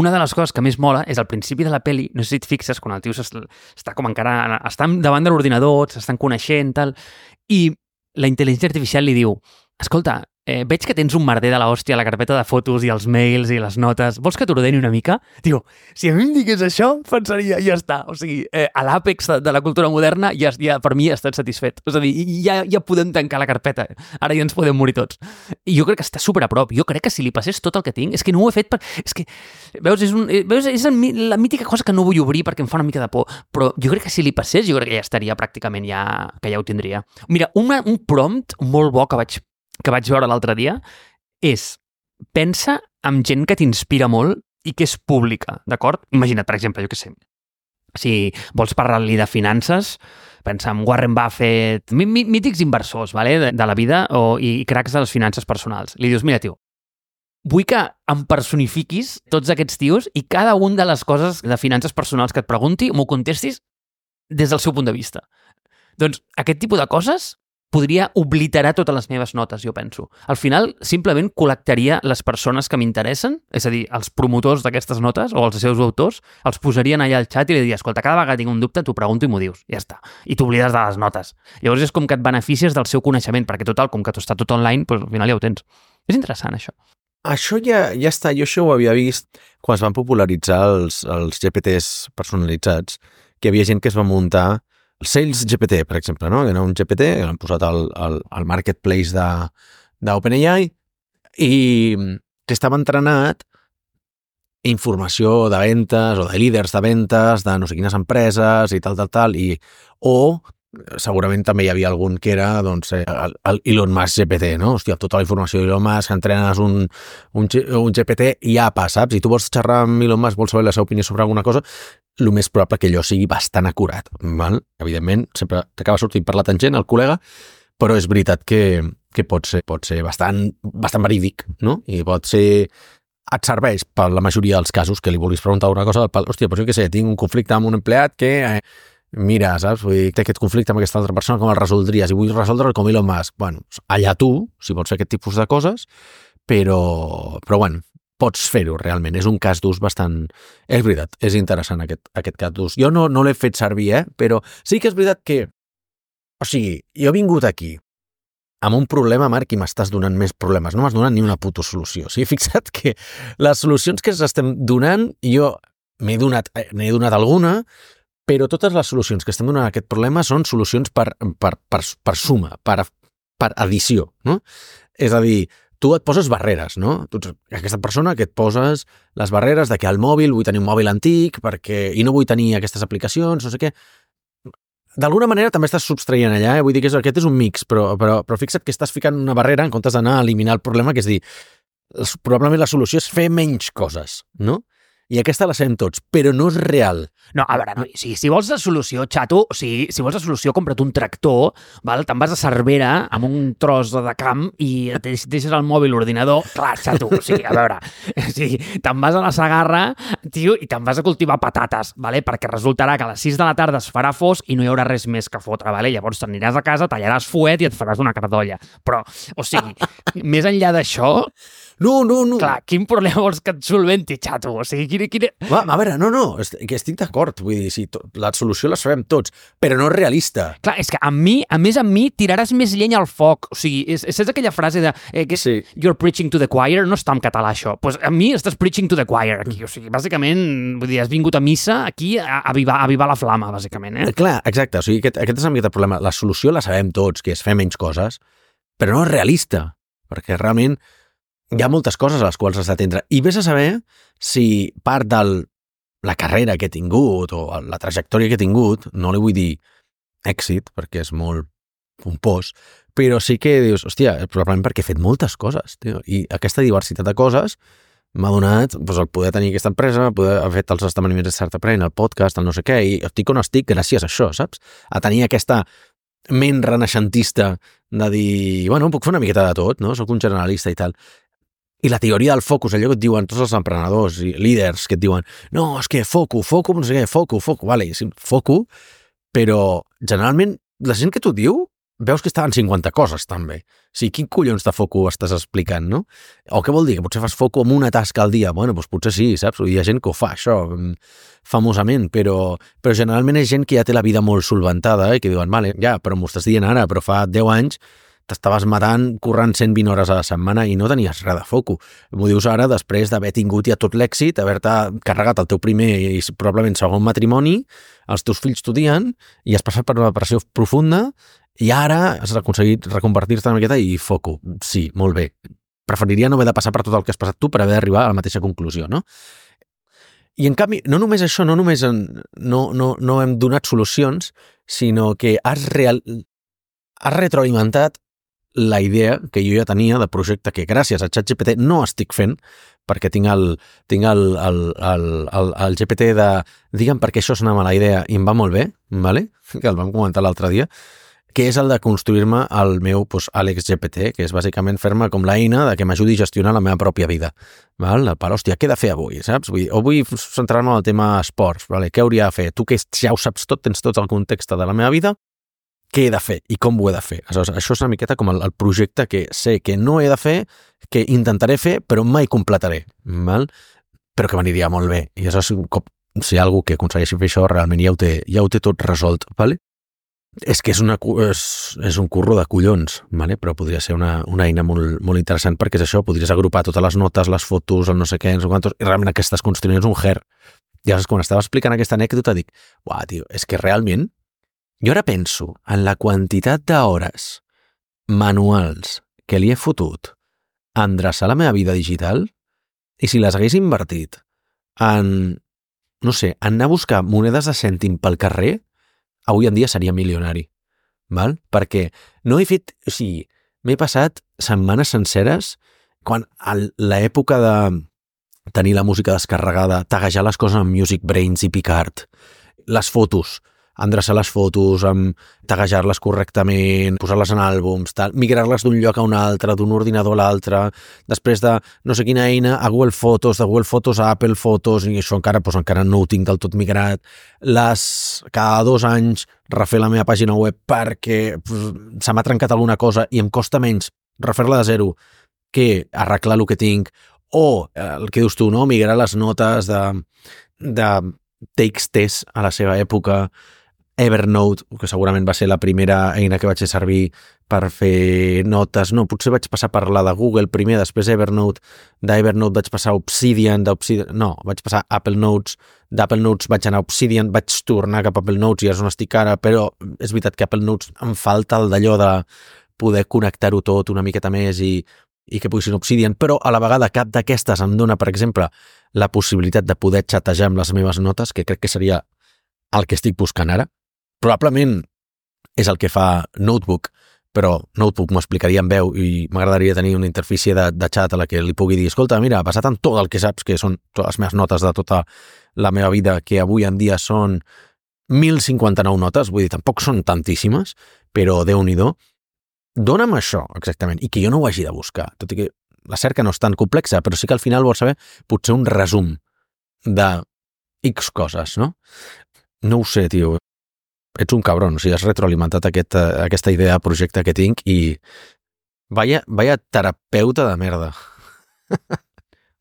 Speaker 2: una de les coses que més mola és al principi de la peli, no sé si et fixes, quan el tio està com encara... Està davant de l'ordinador, s'estan coneixent, tal, i la intel·ligència artificial li diu, escolta, veig que tens un merder de l'hòstia a la carpeta de fotos i els mails i les notes, vols que t'ordeni una mica? Diu, si a mi em digués això, pensaria, ja està. O sigui, a l'àpex de la cultura moderna ja per mi ja estat satisfet. És a dir, ja podem tancar la carpeta. Ara ja ens podem morir tots. I jo crec que està super a prop. Jo crec que si li passés tot el que tinc, és que no ho he fet per... És que, veus, és la mítica cosa que no vull obrir perquè em fa una mica de por. Però jo crec que si li passés, jo crec que ja estaria pràcticament que ja ho tindria. Mira, un prompt molt bo que vaig veure l'altre dia és pensa en gent que t'inspira molt i que és pública, d'acord? Imagina't, per exemple, jo què sé, si vols parlar-li de finances, pensa en Warren Buffett, mítics inversors, vale? de la vida i cracs de les finances personals. Li dius, mira, tio, vull que em personifiquis tots aquests tios i cada un de les coses de finances personals que et pregunti m'ho contestis des del seu punt de vista. Doncs aquest tipus de coses podria obliterar totes les meves notes, jo penso. Al final, simplement col·lectaria les persones que m'interessen, és a dir, els promotors d'aquestes notes o els seus autors, els posarien allà al xat i li diria, escolta, cada vegada que tinc un dubte t'ho pregunto i m'ho dius. Ja està. I t'oblides de les notes. Llavors és com que et beneficies del seu coneixement, perquè total, com que està tot online, doncs al final ja ho tens. És interessant, això.
Speaker 1: Això ja està. Jo això ho havia vist quan es van popularitzar els GPTs personalitzats, que hi havia gent que es va muntar el Sales GPT, per exemple, no? Que era un GPT que l'han posat al marketplace d'OpenAI i que estava entrenat informació de ventes o de líders de ventes de no sé quines empreses i tal, o segurament també hi havia algun que era doncs, el Elon Musk GPT, no? Hòstia, tota la informació d'Elon Musk, entrenes un GPT i apa, saps? I tu vols xerrar amb Elon Musk, vols saber la seva opinió sobre alguna cosa, el més probable que allò sigui bastant acurat, val? Evidentment, sempre t'acaba sortint per la tangent el col·lega, però és veritat que pot ser bastant verídic, no? I pot ser... Et serveix per la majoria dels casos que li vulguis preguntar una cosa, hòstia, doncs jo què sé, tinc un conflicte amb un empleat que... mira, saps? Vull dir, té aquest conflicte amb aquesta altra persona, com el resoldries? I vull resoldre'l com Elon Musk. Bueno, allà tu, si vols fer aquest tipus de coses, però bueno, pots fer-ho realment. És un cas d'ús bastant... És veritat, és interessant aquest cas d'ús. Jo no l'he fet servir, però sí que és veritat que... O sigui, jo he vingut aquí amb un problema, Marc, i m'estàs donant més problemes. No m'has donat ni una puta solució. O sigui, fixa't que les solucions que estem donant, jo n'he donat alguna, però totes les solucions que estem donant a aquest problema són solucions per suma, per addició, no? És a dir, tu et poses barreres, no? Tu ets aquesta persona que et poses les barreres de que al mòbil vull tenir un mòbil antic i no vull tenir aquestes aplicacions, no sé què. D'alguna manera també estàs subtraient allà, vull dir que aquest és un mix, però fixa't que estàs ficant una barrera en comptes d'anar a eliminar el problema, que és dir, probablement la solució és fer menys coses, no? I aquesta la sabem tots, però no és real.
Speaker 2: No, a veure, si vols la solució, xato, o sigui, si vols la solució, compra't un tractor, val? Te'n vas a Cervera amb un tros de camp i deixes el mòbil, l'ordinador, clar, xato, o sigui, a veure, te'n vas a la Segarra, tio, i te'n vas a cultivar patates, vale? Perquè resultarà que a les 6 de la tarda es farà fosc i no hi haurà res més que fotre, vale? Llavors t'aniràs a casa, tallaràs fuet i et faràs una cardolla. Però, o sigui, més enllà d'això...
Speaker 1: No.
Speaker 2: Clar, quin problema vols que et solventi, xato? O sigui, quina...
Speaker 1: A veure, no, que estic d'acord. Vull dir, sí, la solució la sabem tots, però no és realista.
Speaker 2: Clar, és que a més amb mi tiraràs més llenya al foc. O sigui, és aquella frase de que és you're preaching to the choir, no està en català això. Pues a mi estàs preaching to the choir aquí. O sigui, bàsicament, vull dir, has vingut a missa aquí a avivar la flama, bàsicament.
Speaker 1: Clar, exacte. O sigui, aquest és el problema. La solució la sabem tots, que és fer menys coses, però no és realista, perquè realment hi ha moltes coses a les quals has d'atendre. I vés a saber si part de la carrera que he tingut o la trajectòria que he tingut, no li vull dir èxit, perquè és molt pompós, però sí que dius, hòstia, probablement perquè he fet moltes coses, tio, i aquesta diversitat de coses m'ha donat el poder tenir aquesta empresa, poder haver fet els esdeveniments de Startup Brain, el podcast, el no sé què, i estic on estic gràcies a això, saps? A tenir aquesta ment renaixentista de dir, bueno, puc fer una miqueta de tot, no? Soc un generalista i tal. I la teoria del focus, allò que et diuen tots els emprenedors i líders que et diuen, no, és que foco, no sé què, foco, vale, sí, foco, però generalment la gent que t'ho diu veus que estaven 50 coses també. O sigui, quin collons de foco estàs explicant, no? O què vol dir? Que potser fas foco amb una tasca al dia? Bueno, doncs potser sí, saps? Hi ha gent que ho fa, això, famosament, però generalment és gent que ja té la vida molt solventada i que diuen, vale, ja, però m'ho estàs dient ara, però fa 10 anys t'estaves matant corrent 120 hores a la setmana i no tenies res de foco. M'ho dius ara després d'haver tingut ja tot l'èxit, haver-te carregat el teu primer i probablement segon matrimoni, els teus fills estudien i has passat per una depressió profunda i ara has aconseguit reconvertir-te una miqueta i foco. Sí, molt bé. Preferiria no haver de passar per tot el que has passat tu per haver d'arribar a la mateixa conclusió, no? I en canvi, no només això, no només no hem donat solucions, sinó que has retroalimentat la idea que jo ja tenia de projecte que gràcies a ChatGPT no estic fent, perquè tinc el GPT de digue'm per què això és una mala idea i em va molt bé, vale? Que el vam comentar l'altre dia, que és el de construir-me el meu Àlex GPT, que és bàsicament fer-me com l'eina de que m'ajudi a gestionar la meva pròpia vida. Val? Per, hòstia, què he de fer avui, saps? O vull centrar-me en el tema esports, vale? Què hauria de fer? Tu que ja ho saps tot, tens tot el context de la meva vida, què he de fer i com ho he de fer. Aleshores, això és una miqueta com el projecte que sé que no he de fer, que intentaré fer, però mai completaré, val? Però que m'aniria molt bé. I aleshores, si hi ha algú que aconsegueixi fer això, realment ja ho té tot resolt. Vale? És que és un curro de collons, vale? Però podria ser una eina molt, molt interessant perquè és això, podries agrupar totes les notes, les fotos, el no sé què, no sé quantos, i realment el que estàs construint és un her. I aleshores, quan estava explicant aquesta anècdota, dic, uah, tio, és que realment jo ara penso en la quantitat d'hores manuals que li he fotut a endreçar la meva vida digital i si les hagués invertit en, no sé, en anar a buscar monedes de cèntim pel carrer, avui en dia seria milionari, val? Perquè no he fet, o sigui, m'he passat setmanes senceres quan a l'època de tenir la música descarregada, taguejar les coses amb Music Brains i Picard, les fotos, endreçar les fotos, taguejar-les correctament, posar-les en àlbums, migrar-les d'un lloc a un altre, d'un ordinador a l'altre, després de no sé quina eina a Google Fotos, de Google Fotos a Apple Fotos, i això encara no ho tinc del tot migrat. Cada 2 anys refer la meva pàgina web perquè se m'ha trencat alguna cosa i em costa menys refer-la de zero que arreglar el que tinc, o el que dius tu, no? Migrar les notes de TXT a la seva època, Evernote, que segurament va ser la primera eina que vaig fer servir per fer notes. No, potser vaig passar per la de Google primer, després Evernote, d'Evernote vaig passar a Obsidian, vaig passar a Apple Notes, d'Apple Notes vaig anar a Obsidian, vaig tornar cap a Apple Notes i és on estic ara, però és veritat que Apple Notes em falta el d'allò de poder connectar-ho tot una miqueta més i que pugui ser un Obsidian, però a la vegada cap d'aquestes em dona, per exemple, la possibilitat de poder xatejar amb les meves notes, que crec que seria el que estic buscant ara. Probablement és el que fa Notebook, però Notebook m'ho explicaria en veu i m'agradaria tenir una interfície de xat a la que li pugui dir, escolta, mira, basat en tot el que saps, que són totes les meves notes de tota la meva vida, que avui en dia són 1.059 notes, vull dir, tampoc són tantíssimes, però Déu-n'hi-do, dona'm això, exactament, i que jo no ho hagi de buscar, tot i que la cerca no és tan complexa, però sí que al final vols saber potser un resum de X coses, no? No ho sé, tio. Ets un cabron, o sigui, has retroalimentat aquesta idea de projecte que tinc i vaya terapeuta de merda.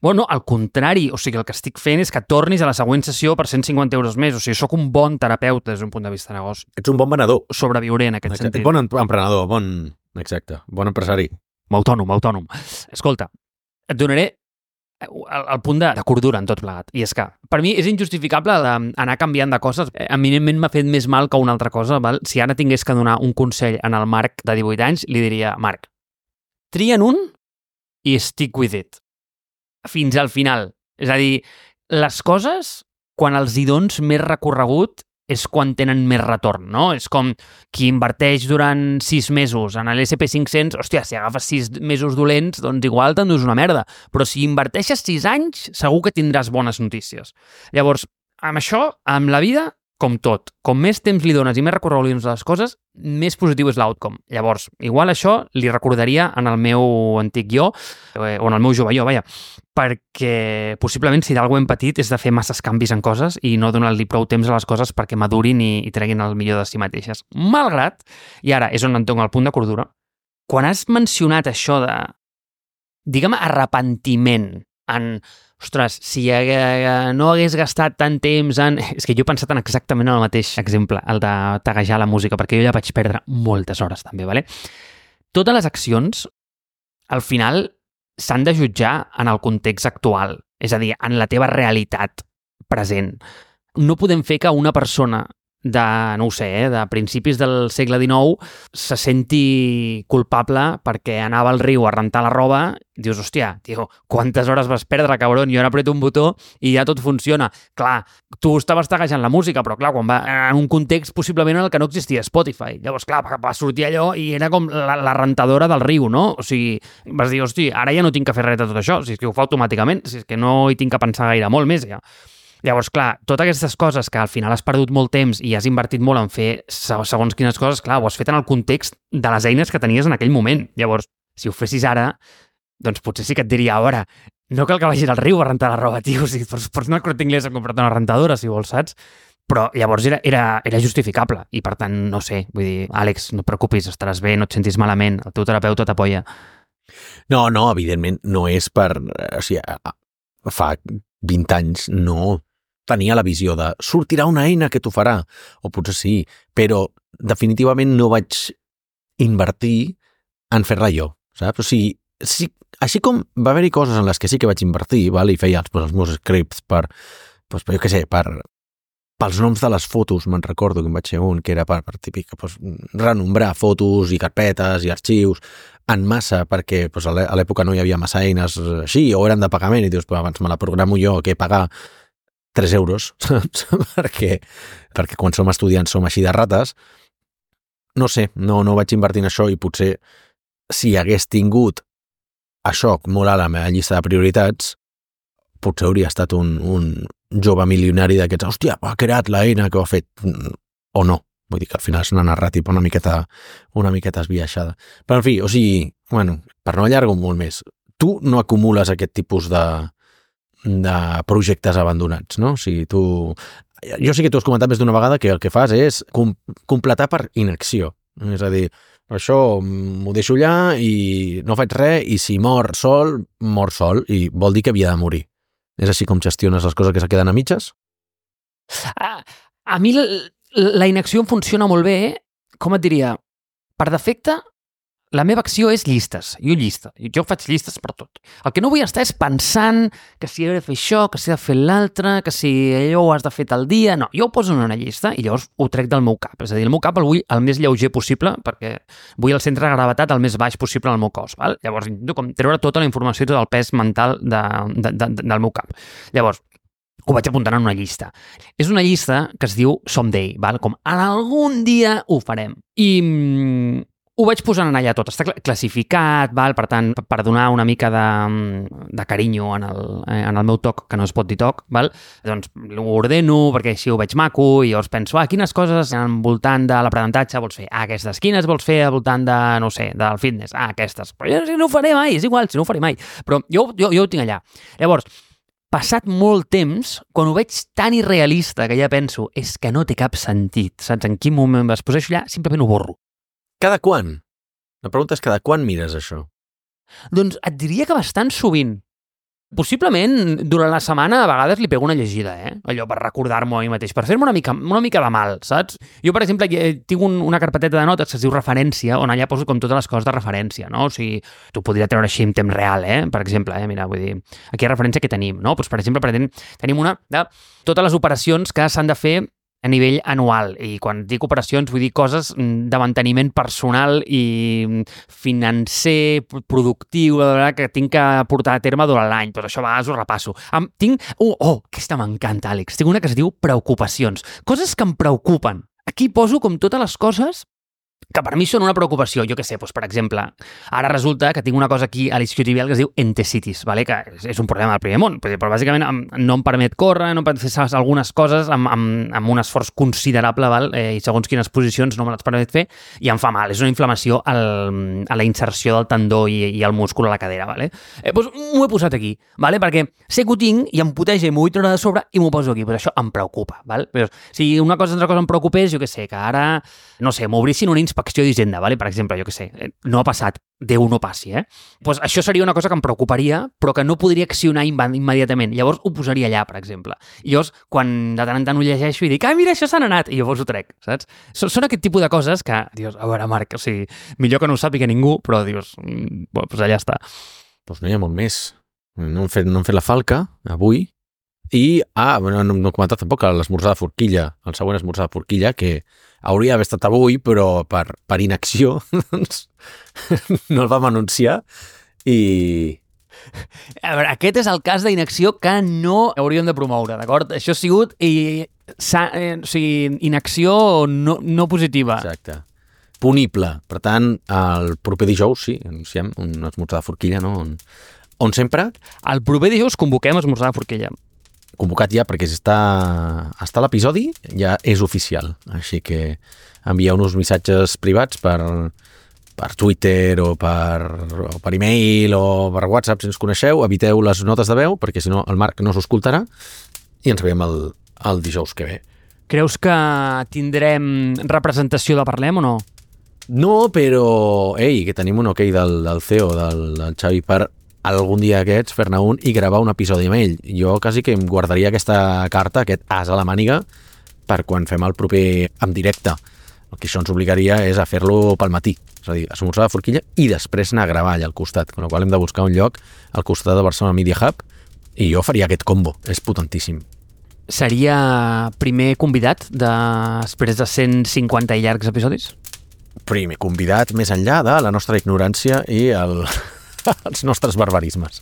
Speaker 2: Bueno, al contrari, o sigui, el que estic fent és que tornis a la següent sessió per 150 euros més. O sigui, sóc un bon terapeuta des d'un punt de vista de negoci.
Speaker 1: Ets un bon venedor.
Speaker 2: Sobreviuré en aquest sentit.
Speaker 1: Ets bon emprenedor, exacte, bon empresari.
Speaker 2: Autònom. Escolta, et donaré el punt de cordura en tot plegat. I és que, per mi, és injustificable anar canviant de coses. Eminentment m'ha fet més mal que una altra cosa. Val? Si ara tingués que donar un consell en el Marc de 18 anys, li diria, Marc, tria'n un i stick with it. Fins al final. És a dir, les coses, quan els hi dones més recorregut, és quan tenen més retorn, no? És com qui inverteix durant 6 mesos en l'SP500, hòstia, si agafes 6 mesos dolents, doncs igual t'endús una merda. Però si inverteixes 6 anys, segur que tindràs bones notícies. Llavors, amb això, amb la vida, com tot, com més temps li dones i més recorregut li dones a les coses, més positiu és l'outcome. Llavors, igual això li recordaria en el meu antic jo, o en el meu jove jo, vaja, perquè possiblement si d'algú hem patit és de fer masses canvis en coses i no donar-li prou temps a les coses perquè madurin i treguin el millor de si mateixes. Malgrat, i ara és on em toca el punt de cordura, quan has mencionat això de, digue'm, arrepentiment en, ostres, si no hagués gastat tant temps en... És que jo he pensat en exactament el mateix exemple, el de taguejar la música, perquè jo ja vaig perdre moltes hores també, ¿vale? Totes les accions, al final, s'han de jutjar en el context actual, és a dir, en la teva realitat present. No podem fer que una persona de, no ho sé, de principis del segle XIX se senti culpable perquè anava al riu a rentar la roba, dius, hòstia, tio, quantes hores vas perdre, cabron, jo ara apreto un botó i ja tot funciona. Clar, tu estaves taguejant la música, però clar, quan va en un context possiblement en el que no existia Spotify. Llavors, clar, va sortir allò i era com la rentadora del riu, no? O sigui, vas dir, hosti, ara ja no tinc que fer res de tot això, si és que ho fa automàticament, si és que no hi tinc que pensar gaire molt més, ja. Llavors, clar, totes aquestes coses que al final has perdut molt temps i has invertit molt en fer segons quines coses, clar, ho has fet en el context de les eines que tenies en aquell moment. Llavors, si ho fessis ara, doncs potser sí que et diria, ara, no cal que vagis al riu a rentar la roba, tio, o sigui, pots anar al Corte Inglés a comprar-te una rentadora, si vols, saps? Però llavors era justificable i, per tant, no sé, vull dir, Àlex, no et preocupis, estaràs bé, no et sentis malament, el teu terapeuta t'apoya.
Speaker 1: No, evidentment, no és per... O sigui, fa 20 anys no tenia la visió de sortirà una eina que t'ho farà, o potser sí, però definitivament no vaig invertir en fer-la jo, saps? O sigui, sí, així com va haver-hi coses en les que sí que vaig invertir, val? I feia els meus scripts jo què sé, pels noms de les fotos, me'n recordo que em vaig fer un, que era per típic, renombrar fotos i carpetes i arxius en massa, perquè a l'època no hi havia massa eines així, o eren de pagament, i dius, abans me la programo jo, que pagar 3 euros, saps? perquè quan som estudiants som així de rates. No sé, no vaig invertir en això i potser si hagués tingut això molt a la meva llista de prioritats, potser hauria estat un jove milionari d'aquests, hòstia, ha creat l'eina que ho ha fet, o no. Vull dir que al final és una narrativa una miqueta esbiaixada. Però en fi, o sigui, bueno, per no allargar molt més, tu no acumules aquest tipus de projectes abandonats, no? O sigui, jo sí que t'ho has comentat més d'una vegada que el que fas és completar per inacció. És a dir, això m'ho deixo allà i no faig res, i si mor sol, i vol dir que havia de morir. És així com gestiones les coses que se queden a mitges?
Speaker 2: A mi la inacció em funciona molt bé, com et diria, per defecte, la meva acció és llistes. Jo faig llistes per tot. El que no vull estar és pensant que si he de fer això, que si he de fer l'altre, que si allò ho has de fer tal dia... No, jo ho poso en una llista i llavors ho trec del meu cap. És a dir, el meu cap el vull el més lleuger possible perquè vull el centre de gravetat el més baix possible en el meu cos. Val? Llavors intento com treure tota la informació i tot el pes mental del meu cap. Llavors, ho vaig apuntant en una llista. És una llista que es diu Someday, val? Com en algun dia ho farem. I ho vaig posant en allà tot. Està classificat, val? Per tant, per donar una mica de carinyo en el meu toc, que no es pot dir toc, val? Doncs ho ordeno perquè així ho veig maco i llavors penso, quines coses al voltant de l'aprenentatge vols fer? Aquestes. Quines vols fer al voltant de, no sé, del fitness? Aquestes. Però jo no ho faré mai, és igual, si no ho faré mai. Però jo ho tinc allà. Llavors, passat molt temps, quan ho veig tan irrealista que ja penso, és que no té cap sentit, saps? En quin moment es posa allà, simplement ho borro.
Speaker 1: Cada quan? La pregunta és cada quan mires això?
Speaker 2: Doncs et diria que bastant sovint. Possiblement, durant la setmana, a vegades li pego una llegida, allò per recordar-m'ho a mi mateix, per fer-me una mica de mal, saps? Jo, per exemple, tinc una carpeteta de notes que es diu referència, on allà poso com totes les coses de referència, no? O sigui, tu podria treure així en temps real, per exemple, mira, vull dir, aquí hi ha referència que tenim, no? Doncs, per exemple, tenim una de totes les operacions que s'han de fer a nivell anual, i quan dic operacions vull dir coses de manteniment personal i financer, productiu, que tinc que portar a terme durant l'any. Doncs això a vegades ho repasso. Aquesta m'encanta, Àlex. Tinc una que es diu preocupacions. Coses que em preocupen. Aquí poso com totes les coses que per mi són una preocupació. Jo què sé, doncs, per exemple, ara resulta que tinc una cosa aquí a l'isquiotibial que es diu entesitis, vale? Que és un problema del primer món, però bàsicament no em permet córrer, no em permet fer algunes coses amb un esforç considerable, val? I segons quines posicions no me les permet fer, i em fa mal. És una inflamació a la inserció del tendó i el múscul a la cadera. Vale? Doncs m'ho he posat aquí, vale? Perquè sé que ho tinc i em puteja i m'ho vull treure de sobre i m'ho poso aquí. Però això em preocupa. Vale? Però si una altra cosa em preocupés, jo què sé, que ara, no sé, m'obrissin una inspecció d'Hisenda, vale? Per exemple, jo què sé, no ha passat, Déu no passi, Pues això seria una cosa que em preocuparia, però que no podria accionar immediatament. Llavors ho posaria allà, per exemple. I llavors, quan de tant en tant ho llegeixo i dic, mira, això se n'ha anat, i llavors ho trec, saps? Són aquest tipus de coses que, dius, a veure, Marc, o sigui, millor que no ho sàpiga ningú, però dius, pues allà està.
Speaker 1: Doncs no hi ha molt més. No hem fet la falca, avui, i, no he comentat tampoc l'esmorzar de forquilla, el següent esmorzar de forquilla, que hauria d'haver estat avui, però per inacció doncs, no el vam anunciar i...
Speaker 2: A veure, aquest és el cas d'inacció que no hauríem de promoure, d'acord? Això ha sigut inacció no positiva.
Speaker 1: Exacte. Punible. Per tant, el proper dijous, sí, anunciem un esmorzar de forquilla, no? On sempre...
Speaker 2: El proper dijous convoquem esmorzar de forquilla.
Speaker 1: Convocat ja, perquè està l'episodi, ja és oficial. Així que envieu uns missatges privats per Twitter o per e-mail o per WhatsApp si ens coneixeu. Eviteu les notes de veu, perquè si no el Marc no s'ho escoltarà, i ens veiem el dijous que ve.
Speaker 2: Creus que tindrem representació de Parlem o no?
Speaker 1: No, però, que tenim un okay del CEO, del Xavi, per algun dia aquests fer-ne un i gravar un episodi amb ell. Jo quasi que em guardaria aquesta carta, aquest as a la màniga, per quan fem el proper en directe. El que això ens obligaria és a fer-lo pel matí, és a dir, esmorzar de forquilla i després anar a gravar allà al costat, amb la qual hem de buscar un lloc al costat de Barcelona Media Hub, i jo faria aquest combo, és potentíssim.
Speaker 2: Seria primer convidat després de 150 i llargs episodis?
Speaker 1: Primer convidat més enllà de la nostra ignorància i els nostres barbarismes.